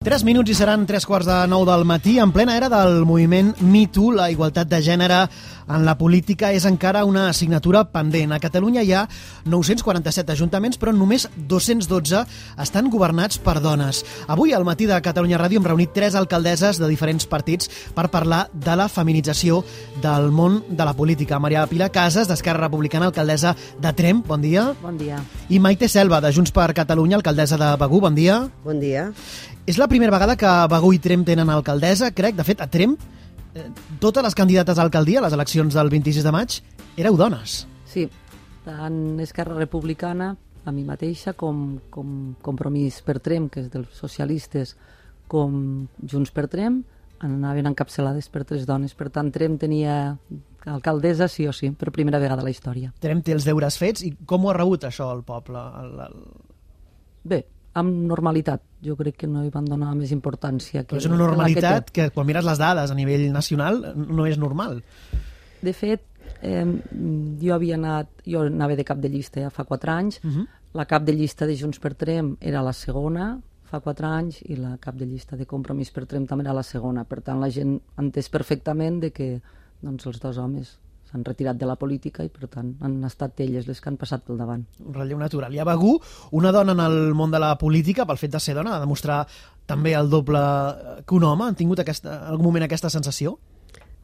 3 minuts i seran 3:15 del matí. En plena era del moviment MeToo, la igualtat de gènere en la política és encara una assignatura pendent. A Catalunya hi ha 947 ajuntaments, però només 212 estan governats per dones. Avui, al matí de Catalunya Ràdio, hem reunit 3 alcaldesses de diferents partits per parlar de la feminització del món de la política. Maria Pilar Casas, d'Esquerra Republicana, alcaldessa de Tremp, bon dia. Bon dia. I Maite Selva, de Junts per Catalunya, alcaldessa de Begur, bon dia. Bon dia. És la primera vegada que Begur i Tremp tenen alcaldessa, crec. De fet, a Tremp, totes les candidates a alcaldia a les eleccions del 26 de maig éreu dones. Sí, tant Esquerra Republicana, a mi mateixa, com Compromís per Tremp, que és dels socialistes, com Junts per Tremp, anaven encapçalades per 3 dones. Per tant, Tremp tenia alcaldessa sí o sí, per primera vegada a la història. Tremp té els deures fets. I com ho ha rebut això el poble? Bé, amb normalitat. Jo crec que no hi van donar més importància. Però és una normalitat que quan mires les dades a nivell nacional no és normal. De fet, jo anava de cap de llista ja fa 4 anys. La cap de llista de Junts per Tremp era la segona fa 4 anys i la cap de llista de Compromís per Tremp també era la segona. Per tant, la gent ha entès perfectament de que els 2 homes s'han retirat de la política i, per tant, han estat elles les que han passat pel davant. Un relleu natural. I a Begur, una dona en el món de la política, pel fet de ser dona, ha de demostrar també el doble que un home. Han tingut en algun moment aquesta sensació?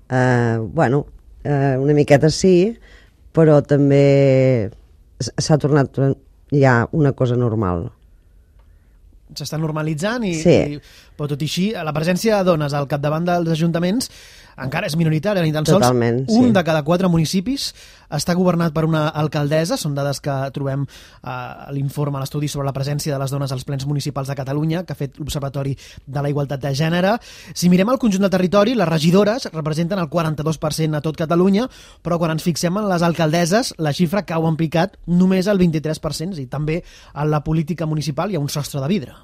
Una miqueta sí, però també s'ha tornat ja una cosa normal. S'està normalitzant sí. Però tot i així, la presència de dones al capdavant dels ajuntaments encara és minoritària, ni tan sols totalment, un sí. de cada 4 municipis està governat per una alcaldessa. Són dades que trobem a l'informe, a l'estudi sobre la presència de les dones als plens municipals de Catalunya, que ha fet l'Observatori de la Igualtat de Gènere. Si mirem el conjunt del territori, les regidores representen el 42% a tot Catalunya, però quan ens fixem en les alcaldesses, la xifra cau en picat només al 23%, i també en la política municipal hi ha un sostre de vidre.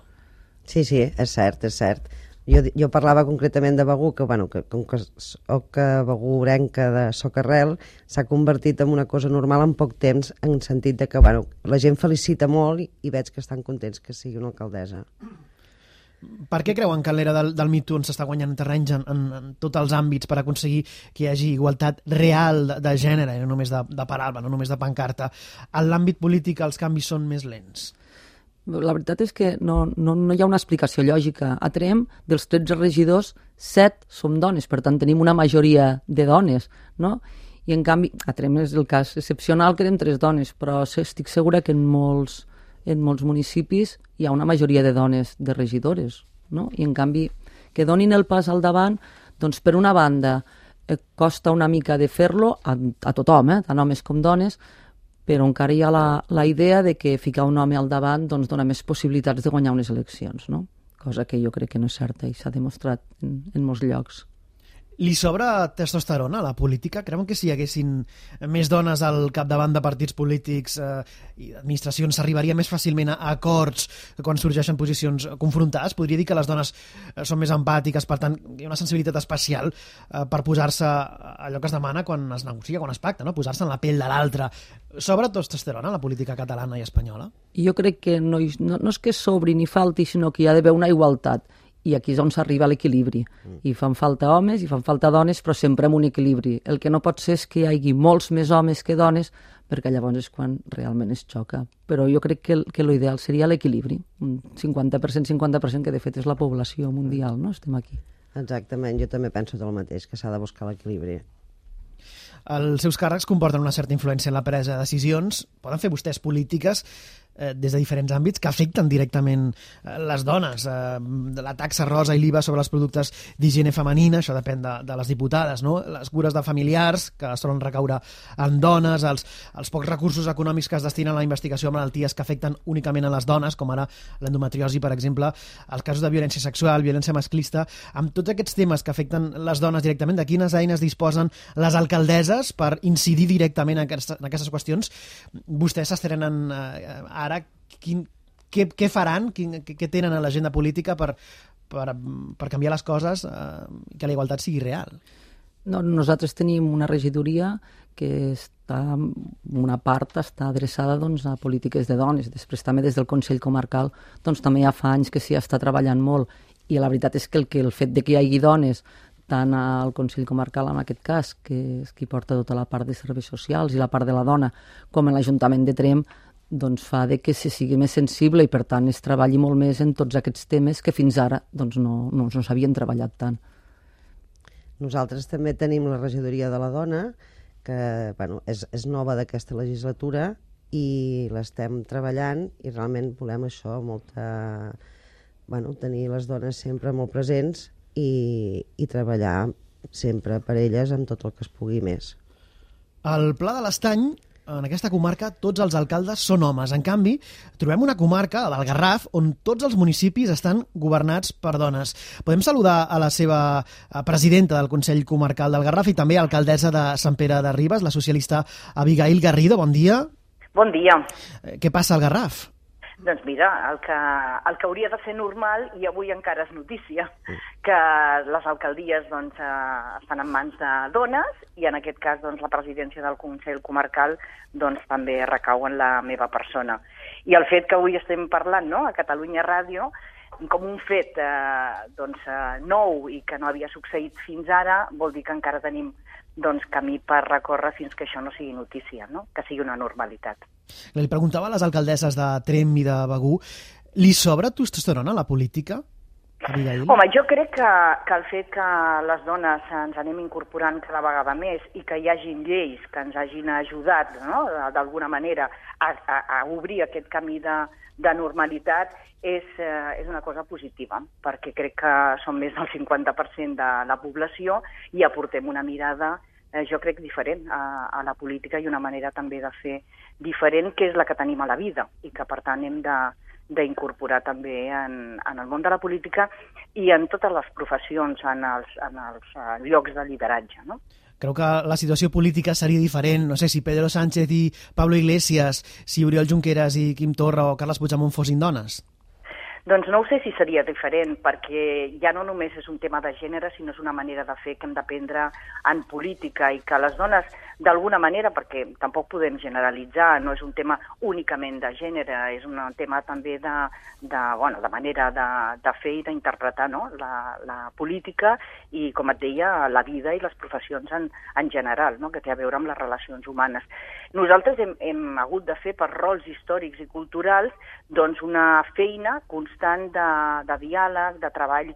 Sí, és cert, és cert. Jo parlava concretament de Begur, que com que soc begurenca de Socarrel, s'ha convertit en una cosa normal en poc temps, en sentit de que la gent felicita molt i veig que estan contents que sigui una alcaldessa. Per què creuen que en l'era del MeToo s'està guanyant terrenys en tots els àmbits per aconseguir que hi hagi igualtat real de gènere, no només de paraula, no només de pancarta? En l'àmbit polític els canvis són més lents. La veritat és que no hi ha una explicació lògica. A Tremp, dels 13 regidors, 7 som dones, per tant tenim una majoria de dones, no? I en canvi, a Tremp és el cas excepcional que érem 3 dones, però estic segura que en molts municipis hi ha una majoria de dones de regidores, no? I en canvi, que donin el pas al davant, doncs per una banda costa una mica de fer-lo a tothom, tant homes com dones, però encara hi ha la idea de que ficar un home al davant doncs, dona més possibilitats de guanyar unes eleccions, no? Cosa que jo crec que no és certa i s'ha demostrat en molts llocs. Li sobra testosterona a la política? Creuen que si hi haguessin més dones al capdavant de partits polítics i administracions s'arribaria més fàcilment a acords quan sorgeixen posicions confrontades? Podria dir que les dones són més empàtiques, per tant, hi ha una sensibilitat especial per posar-se allò que es demana quan es negocia, quan es pacta, no? Posar-se en la pell de l'altre. Sobra testosterona a la política catalana i espanyola? Jo crec que no és que sobri ni falti, sinó que hi ha d'haver una igualtat. I aquí és on s'arriba a l'equilibri. I fan falta homes i fan falta dones, però sempre amb un equilibri. El que no pot ser és que hi hagi molts més homes que dones, perquè llavors és quan realment es xoca. Però jo crec que l'ideal seria l'equilibri. Un 50%, que de fet és la població mundial, no? Estem aquí. Exactament, jo també penso el mateix, que s'ha de buscar l'equilibri. Els seus càrrecs comporten una certa influència en la presa de decisions. Poden fer vostès polítiques des de diferents àmbits que afecten directament les dones. La taxa rosa i l'IVA sobre els productes d'higiene femenina, això depèn de les diputades, no? Les cures de familiars, que solen recaure en dones, els pocs recursos econòmics que es destinen a la investigació de malalties que afecten únicament a les dones, com ara l'endometriosi, per exemple, els casos de violència sexual, violència masclista. Amb tots aquests temes que afecten les dones directament, de quines eines disposen les alcaldesses per incidir directament en aquestes qüestions? Vostès s'estrenen ara. Què faran? Què tenen a l'agenda política per canviar les coses i que la igualtat sigui real? Nosaltres tenim una regidoria que una part està adreçada a polítiques de dones. Després també des del Consell Comarcal també ja fa anys que s'hi està treballant molt I la veritat és que el fet de que hi hagi dones tant al Consell Comarcal, en aquest cas, que és qui porta tota la part de serveis socials i la part de la dona, com en l'Ajuntament de Tremp, doncs fa de que se sigui més sensible i, per tant, es treballi molt més en tots aquests temes que fins ara doncs, no s'havien treballat tant. Nosaltres també tenim la regidoria de la dona, que és nova d'aquesta legislatura i l'estem treballant i realment volem això, tenir les dones sempre molt presents i treballar sempre per elles amb tot el que es pugui més. Al Pla de l'Estany, en aquesta comarca, tots els alcaldes són homes. En canvi, trobem una comarca, la del Garraf, on tots els municipis estan governats per dones. Podem saludar a la seva presidenta del Consell Comarcal del Garraf i també alcaldessa de Sant Pere de Ribes, la socialista Abigail Garrido. Bon dia. Bon dia. Què passa al Garraf? Doncs mira, el que hauria de ser normal, i avui encara és notícia, que les alcaldies estan en mans de dones i en aquest cas la presidència del Consell Comarcal també recau en la meva persona. I el fet que avui estem parlant a Catalunya Ràdio com un fet nou i que no havia succeït fins ara, vol dir que encara tenim camí per recórrer fins que això no sigui notícia, que sigui una normalitat. Li preguntava a les alcaldesses de Tremp i de Begur, li sobra testosterona a la política, Abigail? Home, jo crec que el fet que les dones ens anem incorporant cada vegada més i que hi hagin lleis que ens hagin ajudat d'alguna manera a obrir aquest camí de normalitat és una cosa positiva, perquè crec que som més del 50% de la població i aportem una mirada, jo crec, diferent a la política i una manera també de fer diferent, que és la que tenim a la vida i que, per tant, hem d'incorporar també en el món de la política i en totes les professions, en els llocs de lideratge, no? Creu que la situació política seria diferent, no sé, si Pedro Sánchez i Pablo Iglesias, si Oriol Junqueras i Quim Torra o Carles Puigdemont fossin dones? Doncs no ho sé si seria diferent, perquè ja no només és un tema de gènere, sinó és una manera de fer que hem d'aprendre en política i que les dones, d'alguna manera, perquè tampoc podem generalitzar, no és un tema únicament de gènere, és un tema també de manera de fer i d'interpretar la política i, com et deia, la vida i les professions en general, que té a veure amb les relacions humanes. Nosaltres hem hagut de fer per rols històrics i culturals una feina constant de diàleg, de treball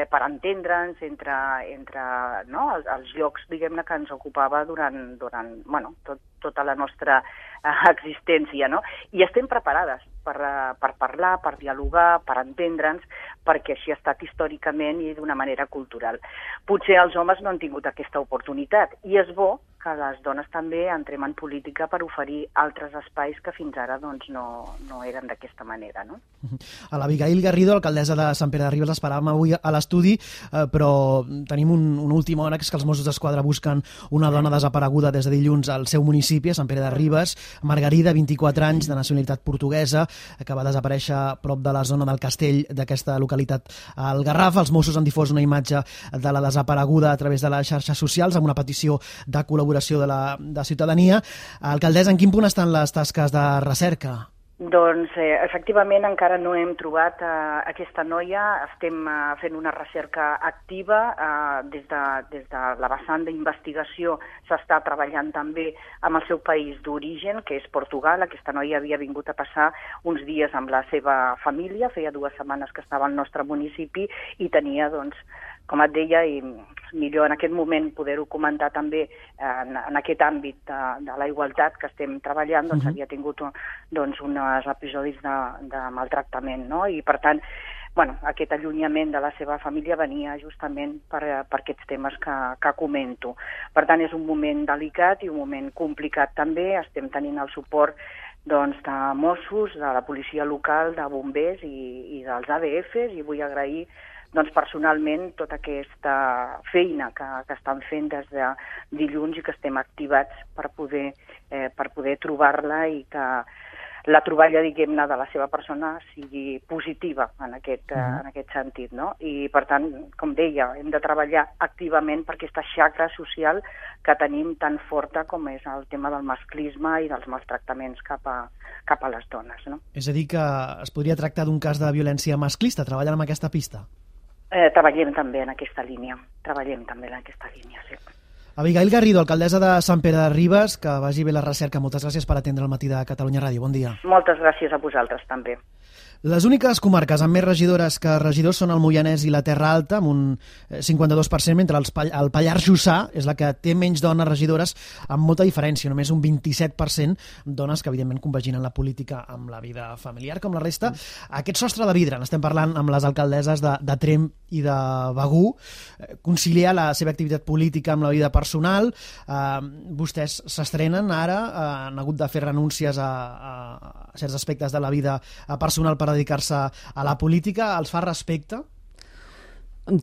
per entendre'ns entre els llocs, diguem-ne, que ens ocupava durant tota la nostra existència, no? I estem preparades per parlar, per dialogar, per entendre'ns, perquè així ha estat històricament i d'una manera cultural. Potser els homes no han tingut aquesta oportunitat i és bo que les dones també entrem en política per oferir altres espais que fins ara no eren d'aquesta manera, no? A l'Abigail Garrido, alcaldessa de Sant Pere de Ribes, l'esperàvem avui a l'estudi, però tenim una última hora, que és que els Mossos d'Esquadra busquen una dona desapareguda des de dilluns al seu municipi, a Sant Pere de Ribes, Margarida, 24 anys, de nacionalitat portuguesa, que va desaparèixer a prop de la zona del castell d'aquesta localitat al Garraf. Els Mossos han difós una imatge de la desapareguda a través de les xarxes socials amb una petició de col·laboració de ciutadania. Alcaldessa, en quin punt estan les tasques de recerca? Doncs, efectivament, encara no hem trobat aquesta noia. Estem fent una recerca activa. Des de la vessant d'investigació s'està treballant també amb el seu país d'origen, que és Portugal. Aquesta noia havia vingut a passar uns dies amb la seva família. Feia 2 setmanes que estava al nostre municipi i tenia, com et deia, i millor en aquest moment poder-ho comentar també en aquest àmbit de la igualtat que estem treballant, havia tingut uns episodis de maltractament, no? I per tant, aquest allunyament de la seva família venia justament per aquests temes que comento. Per tant, és un moment delicat i un moment complicat també. Estem tenint el suport de Mossos, de la policia local, de bombers i dels ADFs, i vull agrair personalment tota aquesta feina que estan fent des de dilluns i que estem activats per poder trobar-la i que la troballa, diguem-ne, de la seva persona sigui positiva en aquest sentit, no? I, per tant, com deia, hem de treballar activament per aquesta xacra social que tenim tan forta com és el tema del masclisme i dels maltractaments cap a les dones, no? És a dir, que es podria tractar d'un cas de violència masclista, treballant amb aquesta pista? Treballem també en aquesta línia, sí. Abigail Garrido, alcaldessa de Sant Pere de Ribes, que vagi bé la recerca. Moltes gràcies per atendre el matí de Catalunya Ràdio. Bon dia. Moltes gràcies a vosaltres també. Les úniques comarques amb més regidores que regidors són el Moianès i la Terra Alta, amb un 52%, mentre el Pallars Jussà és la que té menys dones regidores, amb molta diferència, només un 27% dones que evidentment compaginen la política amb la vida familiar, com la resta. Aquest sostre de vidre, n'estem parlant amb les alcaldesses de Tremp i de Begur, conciliar la seva activitat política amb la vida personal. Vostès s'estrenen ara, han hagut de fer renúncies a certs aspectes de la vida personal per dedicar-se a la política. Els fa respecte?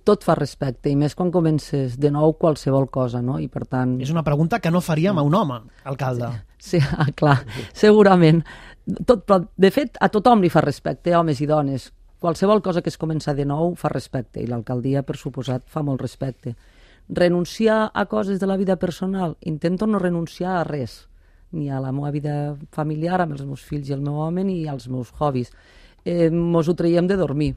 Tot fa respecte, i més quan comences de nou qualsevol cosa, no? I per tant... És una pregunta que no faríem a un home, alcalde. Sí, clar, segurament. Però, de fet, a tothom li fa respecte, homes i dones. Qualsevol cosa que es comença de nou fa respecte, i l'alcaldia, per suposat, fa molt respecte. Renunciar a coses de la vida personal? Intento no renunciar a res, ni a la meva vida familiar, amb els meus fills i el meu home, ni als meus hobbies. Mos ho traiem de dormir,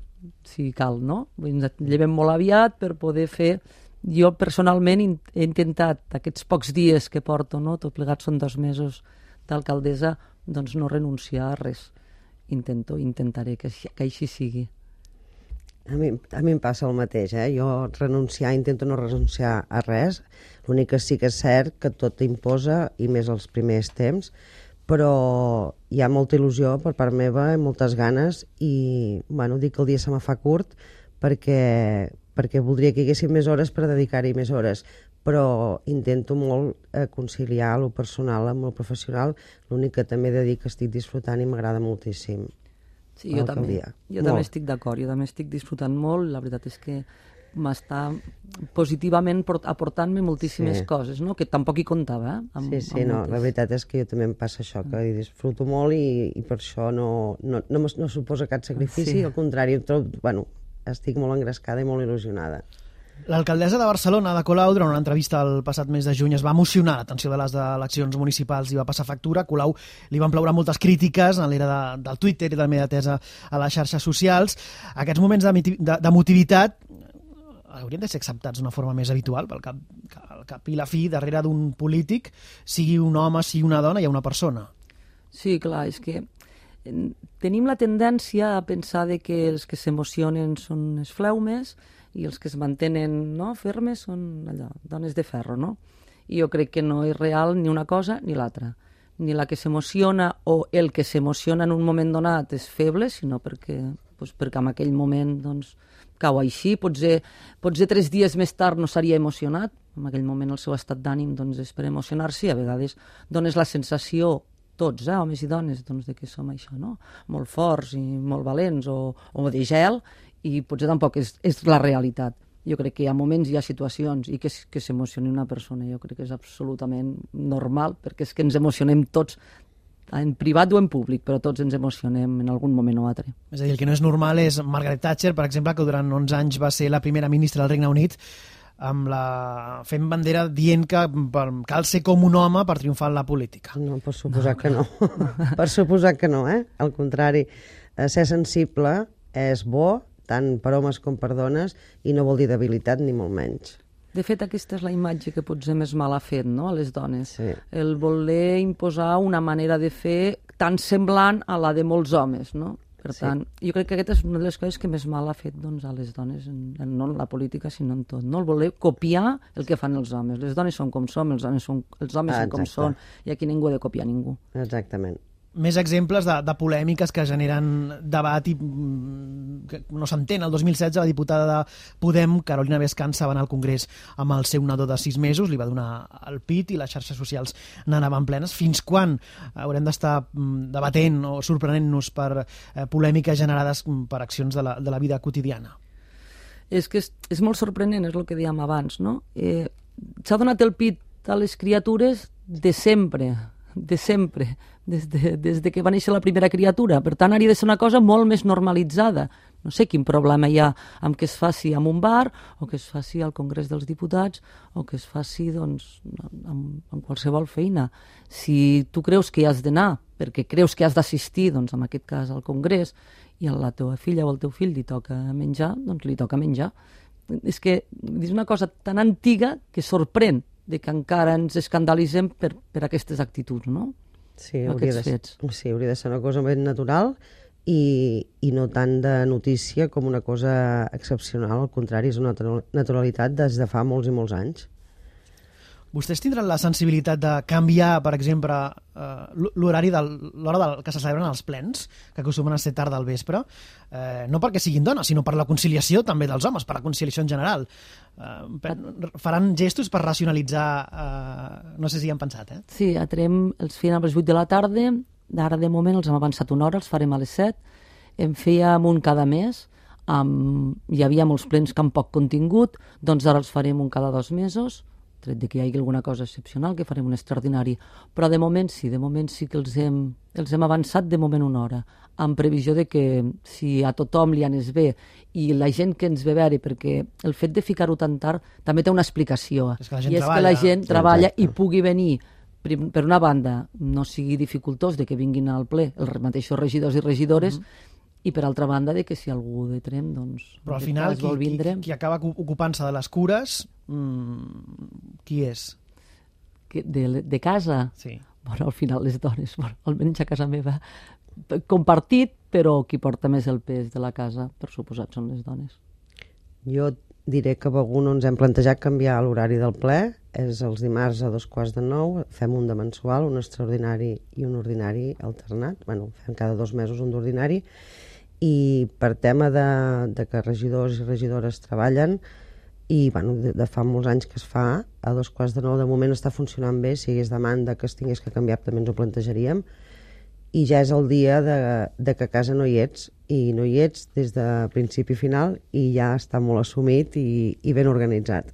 si cal, no? Ens llevem molt aviat per poder fer... Jo personalment he intentat, aquests pocs dies que porto, no? Tot plegat són 2 mesos d'alcaldessa, doncs no renunciar a res. Intentaré que així sigui. A mi em passa el mateix, Jo intento no renunciar a res. L'únic que sí que és cert que tot imposa, i més els primers temps, però hi ha molta il·lusió per part meva i moltes ganes, i dic que el dia se me fa curt perquè voldria que hi haguessin més hores per dedicar-hi més hores, però intento molt conciliar el personal amb el professional. L'únic que també he de dir que estic disfrutant i m'agrada moltíssim. Sí, jo també estic d'acord, jo també estic disfrutant molt, la veritat és que m'està positivament aportant-me moltíssimes coses, no? Que tampoc hi comptava. La veritat és que jo també em passa això, que hi disfruto molt i per això no suposa cap sacrifici, al contrari, estic molt engrescada i molt il·lusionada. L'alcaldessa de Barcelona, Ada Colau, durant una entrevista el passat mes de juny es va emocionar l'atenció de les eleccions municipals i va passar factura. A Colau li van ploure moltes crítiques en l'era del Twitter i de la mediatesa a les xarxes socials. Aquests moments d'emotivitat haurien de ser acceptats d'una forma més habitual, pel cap i la fi, darrere d'un polític, sigui un home, sigui una dona, hi ha una persona. Sí, clar, és que tenim la tendència a pensar que els que s'emocionen són els fleumes i els que es mantenen fermes són dones de ferro, no? I jo crec que no és real ni una cosa ni l'altra. Ni la que s'emociona o el que s'emociona en un moment donat és feble, sinó perquè en aquell moment cau així. Potser 3 dies més tard no s'hauria emocionat. En aquell moment el seu estat d'ànim és per emocionar-se i a vegades dones la sensació, tots, homes i dones, de que som això, no? Molt forts i molt valents o de gel, i potser tampoc és la realitat. Jo crec que hi ha moments, hi ha situacions, i que s'emocioni una persona, jo crec que és absolutament normal, perquè és que ens emocionem tots, en privat o en públic, però tots ens emocionem en algun moment o altre. És a dir, el que no és normal és Margaret Thatcher, per exemple, que durant 11 anys va ser la primera ministra del Regne Unit, fent bandera dient que cal ser com un home per triomfar en la política. No, per suposar que no. Per suposar que no, Al contrari, ser sensible és bo, tant per homes com per dones, i no vol dir debilitat ni molt menys. De fet, aquesta és la imatge que potser més mal ha fet, no?, a les dones. Sí. El voler imposar una manera de fer tan semblant a la de molts homes, no? Per tant, jo crec que aquesta és una de les coses que més mal ha fet a les dones, no en la política, sinó en tot. No? El voler copiar el que fan els homes. Les dones són com som, els homes són com són, i aquí ningú ha de copiar ningú. Exactament. Més exemples de polèmiques que generen debat i que no s'entén. El 2016 la diputada de Podem, Carolina Bescansa, va anar al Congrés amb el seu nadó de 6 mesos, li va donar el pit i les xarxes socials n'anaven plenes. Fins quan haurem d'estar debatent o sorprenent-nos per polèmiques generades per accions de la vida quotidiana? És que és molt sorprenent, és el que dèiem abans, no? S'ha donat el pit a les criatures de sempre, des de que va néixer la primera criatura. Per tant, hauria de ser una cosa molt més normalitzada. No sé quin problema hi ha amb que es faci en un bar o que es faci al Congrés dels Diputats o que es faci doncs, en qualsevol feina. Si tu creus que hi has d'anar perquè creus que has d'assistir, doncs, en aquest cas al Congrés, i a la teva filla o al teu fill li toca menjar, doncs li toca menjar. És que és una cosa tan antiga que sorprèn de que encara ens escandalitzem per aquestes actituds, no? Sí, hauria de ser una cosa ben natural i no tant de notícia com una cosa excepcional, al contrari, és una naturalitat des de fa molts i molts anys. Vostès tindran la sensibilitat de canviar, per exemple, l'horari de l'hora que se celebren els plens, que acostumen a ser tard del vespre, no perquè siguin dones, sinó per la conciliació també dels homes, per la conciliació en general. Faran gestos per racionalitzar... No sé si hi han pensat, eh? Sí, a Trem els feien a les 8 de la tarda, ara de moment els hem avançat una hora, els farem a les 7, en fèiem un cada mes, hi havia molts plens que amb poc contingut, doncs ara els farem un cada 2 mesos, tret de que hi hagi alguna cosa excepcional, que farem un extraordinari. Però de moment sí que els hem avançat de moment una hora, amb previsió de que si a tothom li anés bé i la gent que ens ve a veure, perquè el fet de ficar-ho tan tard també té una explicació, i és que la gent treballa i pugui venir, per una banda, no sigui dificultós de que vinguin al ple els mateixos regidors i regidores, i per altra banda de que si algú de Trem doncs, però al final qui acaba ocupant-se de les cures qui és? De casa? Sí. Bueno, al final les dones, almenys a casa meva compartit, però qui porta més el pes de la casa, per suposat, són les dones. Jo diré que a Begur no ens hem plantejat canviar l'horari del ple, és els dimarts a 8:45, fem un de mensual, un extraordinari i un ordinari alternat, fem cada 2 mesos un d'ordinari, i per tema de que regidors i regidores treballen, i de fa molts anys que es fa, a 8:45 de moment està funcionant bé, si hi hagués demanda que es tingués que canviar també ens ho plantejaríem, i ja és el dia de que a casa no hi ets, i no hi ets des de principi a final, i ja està molt assumit i ben organitzat.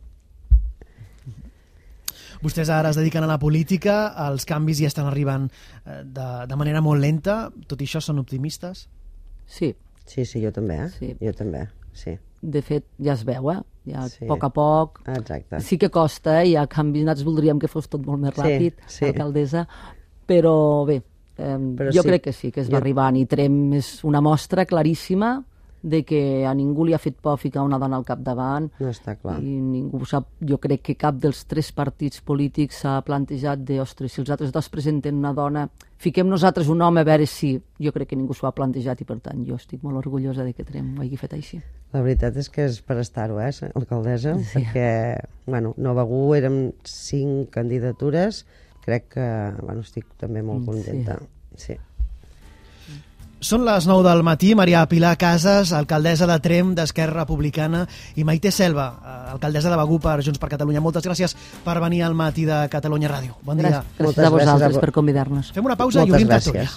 Vostès ara es dediquen a la política, els canvis ja estan arribant de manera molt lenta, tot i això són optimistes? Sí. Sí, jo també, sí. Jo també, sí. De fet, ja es veu, ja sí. A poc a poc. Exacte. Sí que costa, hi ha canvis, nosaltres voldríem que fos tot molt més ràpid, alcaldessa, però bé, jo crec que sí, que es va arribant, i Trem és una mostra claríssima de que a ningú li ha fet por ficar una dona al capdavant. No està clar. I ningú sap, jo crec que cap dels 3 partits polítics s'ha plantejat de, ostres, si els altres 2 presenten una dona, fiquem nosaltres un home a veure si... Jo crec que ningú s'ho ha plantejat i, per tant, jo estic molt orgullosa de que Trem ho hagi fet així. La veritat és que és per estar-ho, alcaldessa, perquè, no Begur, érem 5 candidatures, crec que, estic també molt contenta. Sí. Són les 9 del matí. Maria Pilar Casas, alcaldessa de Trem d'Esquerra Republicana, i Maite Selva, alcaldessa de Begur per Junts per Catalunya. Moltes gràcies per venir al matí de Catalunya Ràdio. Bon dia. Gràcies a vosaltres per convidar-nos. Fem una pausa i obrim tertúlia.